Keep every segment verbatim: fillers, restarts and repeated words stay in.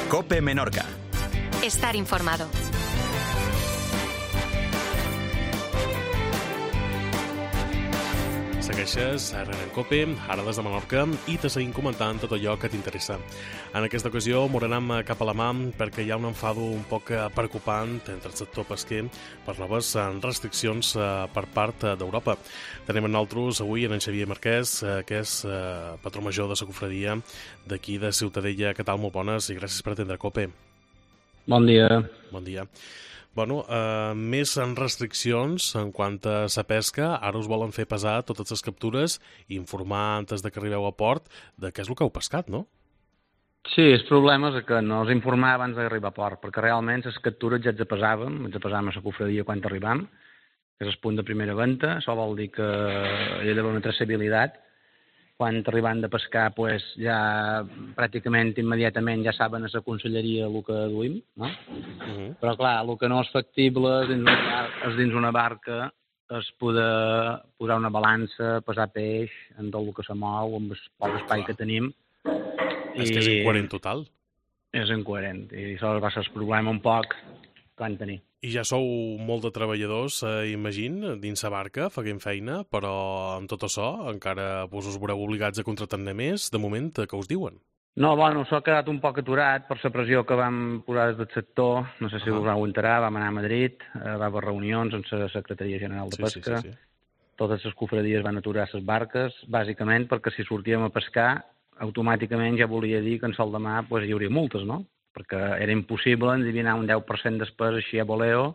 COPE Menorca. Estar informado. Segueixes a en COPE, ara des de Menorca, i te seguim comentant tot allò que t'interessa. En aquesta ocasió m'ho anem cap a la mà perquè hi ha un enfado un poc preocupant entre el sector pesquer per noves restriccions per part d'Europa. Tenim en nosaltres avui en Xavier Marquès, que és patró major de la cofradia d'aquí de Ciutadella. Què tal? Molt bones i gràcies per atendre COPE. Bon dia. Bon dia. Bueno, eh, més en restriccions en quant a la pesca. Ara us volen fer pesar totes les captures i informar antes de que arribeu a port de què és el que heu pescat, no? Sí, el problema és que no us informava abans d'arribar a port, perquè realment les captures ja ens pesàvem, ens pesàvem a la cofradia quan arribam, que és el punt de primera venta. Això vol dir que hi ha d'haver una traçabilitat. Quan arribant de pescar, pues, ja pràcticament immediatament ja saben a la conselleria el que duim, no? Uh-huh. Però clar, el que no és factible és dins una, és dins una barca és poder posar una balança, pesar peix en tot el que se mou, amb el poc espai que tenim. És I... que és incoherent total. És incoherent, i això va ser el problema un poc que van tenir. I ja sou molt de treballadors, eh, imagín, dins la barca, feien feina, però amb tot això encara vos us veureu obligats a contractar-ne més, de moment, què us diuen? No, bueno, s'ha quedat un poc aturat per la pressió que vam posar des del sector. No sé si uh-huh. us vau enterar, vam anar a Madrid, eh, va haver reunions amb la Secretaria General de sí, Pesca. Sí, sí, sí. Totes les cofradies van aturar les barques, bàsicament perquè si sortíem a pescar, automàticament ja volia dir que en sol demà pues, hi hauria multes, no? Perquè era impossible endevinar un deu per cent després així a voleo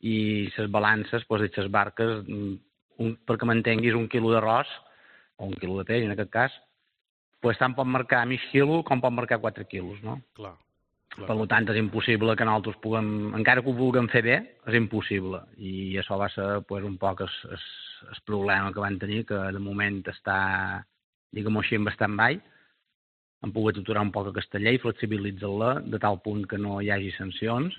i les balances, doncs, les barques, un, perquè m'entenguis, un quilo d'arròs, o un quilo de peix en aquest cas, doncs tant pot marcar mig quilo com pot marcar quatre quilos, no? Clar, clar. Per tant, és impossible que nosaltres puguem, encara que ho vulguem fer bé, és impossible. I això va ser pues, un poc el, el, el problema que van tenir, que de moment està, diguem-ho així, en stand-by. Han pogut aturar un poc aquesta llei, flexibilitzar-la de tal punt que no hi hagi sancions,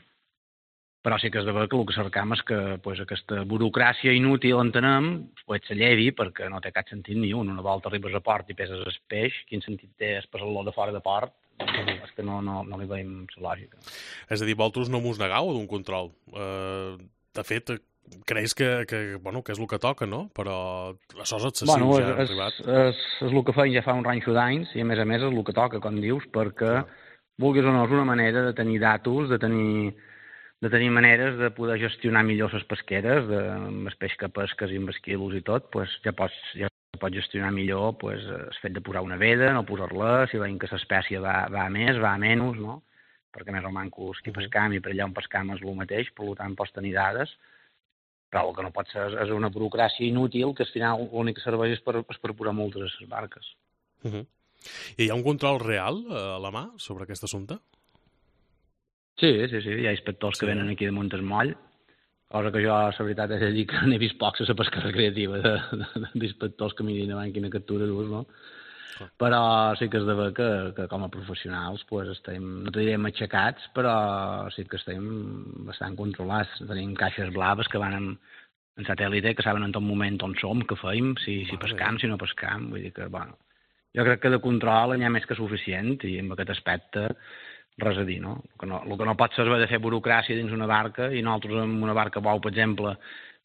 però sí que és de veure que el que cercam és que pues, aquesta burocràcia inútil entenem pues, s'allevi, perquè no té cap sentit ni un. Una volta arribes a port i peses el peix, quin sentit té pesar-lo de fora de port? És que no, no, no li veiem la lògica. És a dir, vosaltres no mos negau d'un control. Uh, de fet, creus que, que, bueno, que és el que toca, no? Però això és excessiu, bueno, ja ha arribat. És, és el que feim ja fa un ranxo d'anys i, a més a més, és el que toca, com dius, perquè, ah. vulguis o no, és una manera de tenir datos, de tenir, de tenir maneres de poder gestionar millor les pesqueres, de, amb el peix que pesques i amb els quilos i tot, pues, ja pots, ja pots gestionar millor pues, el fet de posar una veda, no posar-la, si veiem que l'espècie va, va a més, va a menys, no? Perquè més o menys qui pescam i per allà on pescam és el mateix, per tant pots tenir dades, però el que no pot ser és una burocràcia inútil que al final l'únic que serveix és per, és per posar multes a les barques. Uh-huh. I hi ha un control real a la mà sobre aquest assumpte? Sí, sí, sí. Hi ha inspectors sí. que venen aquí de Montesmoll, cosa que jo, la veritat, he de dir que n'he vist pocs a la pesca recreativa d'inspectors que mirin davant quina captura dus, no? Ah. Però sí que és de veure que, que com a professionals pues, estem, no t'ho diré matxacats, però sí que estem bastant controlats. Tenim caixes blaves que van en, en satèl·lite, que saben en tot moment on som, què feim, si, si pescam, si no pescam. Vull dir que, bueno, jo crec que de control n'hi ha més que suficient i en aquest aspecte res a dir, no? El que no, el que no pot ser de fer burocràcia dins una barca i nosaltres en una barca bou, per exemple,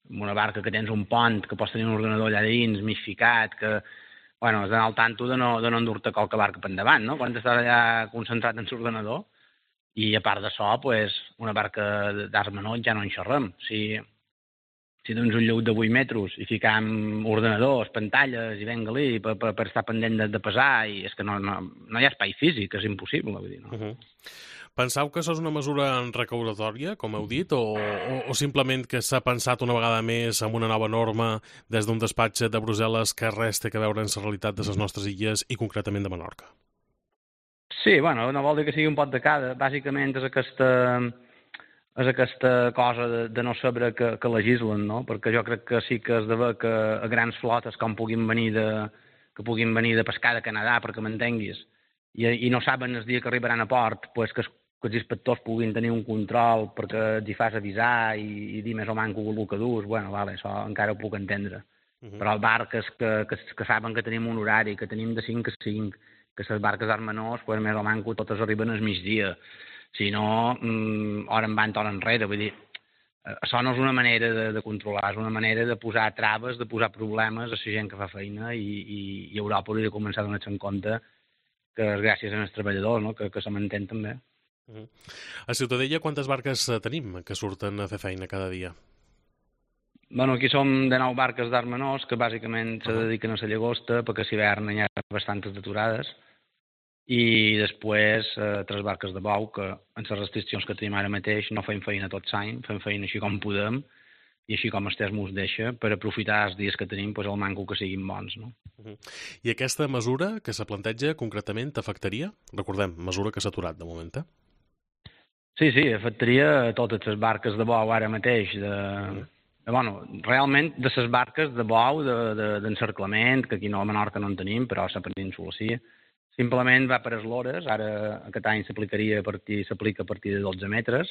en una barca que tens un pont, que pots tenir un ordenador allà dins, mig ficat, que bueno, has d'anar al tanto de no, de no endur-te qualque barca per endavant, no? Quan estàs allà concentrat en l'ordenador. I a part d'això, pues, una barca d'arts menors ja no en xerrem. Si, si tens un lleut de vuit metres i ficam ordenadors, pantalles i venga-li per, per, per estar pendent de, de pesar, i és que no, no, no hi ha espai físic, és impossible. Vull dir, no? Uh-huh. Penseu que això és una mesura recaudatòria, com heu dit, o, o, o simplement que s'ha pensat una vegada més en una nova norma des d'un despatx de Brussel·les que res té a veure amb la realitat de les nostres illes i concretament de Menorca? Sí, bueno, no vol dir que sigui un pot de cada. Bàsicament és aquesta, és aquesta cosa de, de no saber que, que legislen, no? Perquè jo crec que sí que és de veure que a grans flotes com puguin venir de, que puguin venir de pescar de Canadà, perquè m'entenguis, i, i no saben el dia que arribaran a port, pues que que els inspectors puguin tenir un control perquè els hi fas avisar i, i dir més o menys el que dus, bueno, vale, això encara ho puc entendre. Uh-huh. Però barques que, que, que saben que tenim un horari, que tenim de cinc a cinc, que les barques d'art menors, pues, més o manco, totes arriben al migdia. Si no, mm, hora en van, hora enrere. Vull dir, això no és una manera de, de controlar, és una manera de posar traves, de posar problemes a la gent que fa feina i, i, i Europa hauria de començar a donar-se en compte que és gràcies als treballadors, no? que, que se mantén també. Uh-huh. A Ciutadella quantes barques tenim que surten a fer feina cada dia? Bueno, aquí som de nou barques d'art menors que bàsicament uh-huh. se dediquen a la llagosta perquè a l'hivern hi ha bastantes deturades i després eh, tres barques de bou que amb les restriccions que tenim ara mateix no fem feina tot l'any, fem feina així com podem i així com el temps ens deixa per aprofitar els dies que tenim, pues, el manco que siguin bons. No? Uh-huh. I aquesta mesura que se planteja concretament t'afectaria? Recordem, mesura que s'ha aturat de moment, eh? Sí, sí, afectaria totes les barques de bou ara mateix, de... Uh-huh. de bueno, realment de les barques de bou, d'encerclament, de, de, que aquí no a Menorca no en tenim, però a la península sí. Simplement va per eslores, ara aquest any s'aplicaria a partir, s'aplica a partir de dotze metres,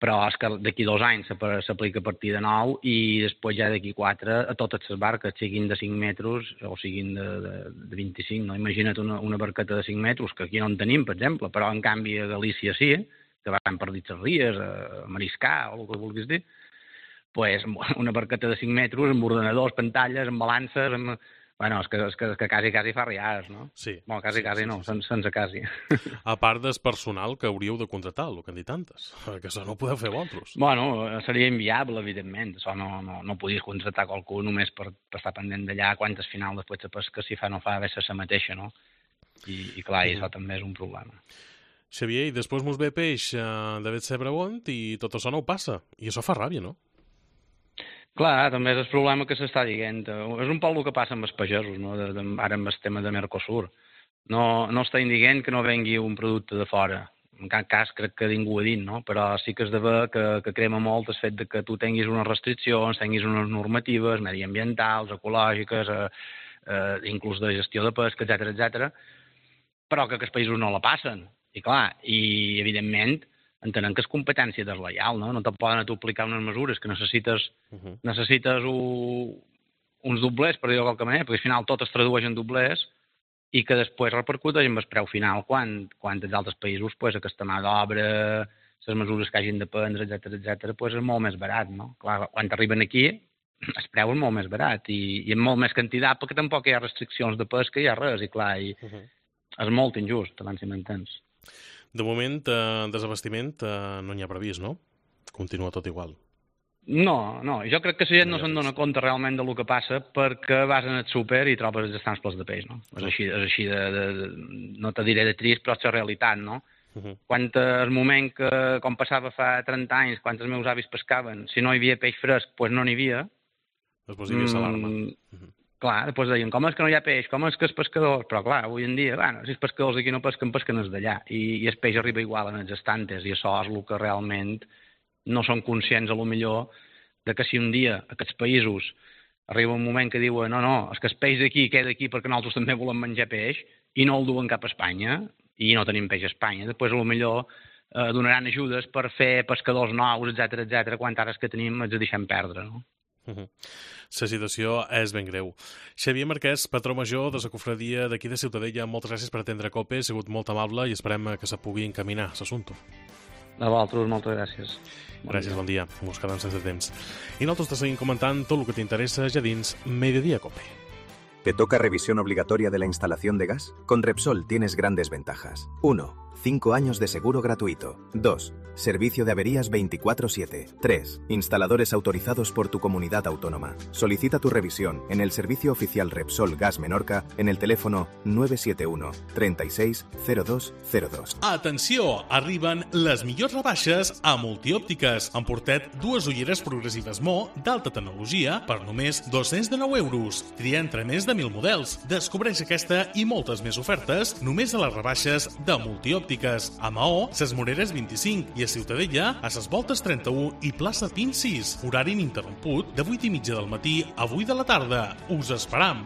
però és que d'aquí dos anys s'aplica a partir de nou i després ja d'aquí quatre a totes les barques, siguin de cinc metres o siguin de, de, de vint-i-cinc. No? Imagina't una, una barqueta de cinc metres, que aquí no en tenim, per exemple, però en canvi a Galícia sí, que van per dins les ries, a mariscar o el que vulguis dir, pues, una barqueta de cinc metres amb ordenadors, pantalles, amb balances, amb... Bueno, és que, és que, és que quasi, quasi fa riades, no? Sí. Bueno, quasi, sí, quasi sí, no, sí, sense, sense quasi. A part del personal que hauríeu de contractar, el que han dit antes, perquè això no ho podeu fer vosaltres. Bueno, seria inviable, evidentment. Això no, no, no podies contractar qualcú només per, per estar pendent d'allà quantes final després de pesca si fa o no fa haver la mateixa, no? I, i clar, mm. això també és un problema. Xavier, i després mos ve peix eh, de Betsebregont i tot això no ho passa. I això fa ràbia, no? Clar, també és el problema que s'està dient. És un poc el que passa amb els pagesos, no? de, de, ara amb el tema de Mercosur. No, no està dient que no vengui un producte de fora. En cap cas crec que ningú ho ha dit, no? Però sí que és de veure que, que crema molt el fet de que tu tinguis unes restriccions, tinguis unes normatives mediambientals, ecològiques, eh, eh, inclús de gestió de pesca, etcètera, etcètera, però que, que els països no la passen. I clar, i evidentment entenem que és competència deslleial, no? No te poden aplicar unes mesures que necessites, uh-huh. necessites un, uns doblers, per dir-ho de qualque manera, perquè al final tot es tradueix en doblers i que després repercuteix en el preu final quan, quan els altres països, pues, aquesta mà d'obra, les mesures que hagin de prendre, etcètera, etcètera, pues, és molt més barat, no? Clar, quan arriben aquí, el preu és molt més barat i, i amb molt més quantitat, perquè tampoc hi ha restriccions de pesca, hi ha res, i clar, i uh-huh. és molt injust, abans si m'entens. De moment, eh, desabastiment eh, no n'hi ha previst, no? Continua tot igual. No, no. Jo crec que la gent no, no se'n dona compte realment del que passa perquè vas en el súper i trobes els estants plens de peix, no? És així, és així de, de, de... No te diré de trist, però és la realitat, no? Uh-huh. Quan el moment que, com passava fa trenta anys, quan els meus avis pescaven, si no hi havia peix fresc, doncs no n'hi havia. Després hi havia l'alarma. Mm, uh-huh. Clar, després deien, com és que no hi ha peix, com és que els pescadors... Però clar, avui en dia, bueno, si els pescadors aquí no pesquen, pesquen els d'allà. I, I el peix arriba igual en els estantes, i això és el que realment no són conscients, a lo millor, de que si un dia aquests països arriba un moment que diuen no, no, és que el peix d'aquí queda aquí perquè nosaltres també volem menjar peix, i no el duen cap a Espanya, i no tenim peix a Espanya, després a lo millor eh, donaran ajudes per fer pescadors nous, etcètera, etcètera, quan ara els que tenim els deixem perdre, no? Uh-huh. La situació és ben greu. Xavier Marquès, patró major de la cofradia d'aquí de Ciutadella, moltes gràcies per atendre COPE, ha sigut molt amable i esperem que se pugui encaminar l'assumpte. A vosaltres, moltes gràcies. Bon gràcies, dia. Bon dia. Ens quedem sense temps. I nosaltres te seguim comentant tot el que t'interessa ja dins Mediodía COPE. ¿Te toca revisión obligatoria de la instalación de gas? Con Repsol tienes grandes ventajas. uno. cinco años de seguro gratuito. dos. Servicio de averías veinticuatro siete. tres. Instaladores autorizados por tu comunidad autónoma. Solicita tu revisión en el servicio oficial Repsol Gas Menorca en el teléfono nueve siete uno, treinta y seis, cero dos cero dos. Atenció! Arriben les millors rebaixes a Multiòptiques. Han portat dues ulleres progressives Mo d'alta tecnologia per només dos-cents dinou euros. Tria entre més de mil models. Descobreix aquesta i moltes més ofertes només a les rebaixes de Multiòptiques. A Maó, ses Moreres vint-i-cinc i a Ciutadella, a ses Voltes trenta-u i plaça Pin sis. Horari ininterromput de vuit i mitja del matí a vuit de la tarda. Us esperam!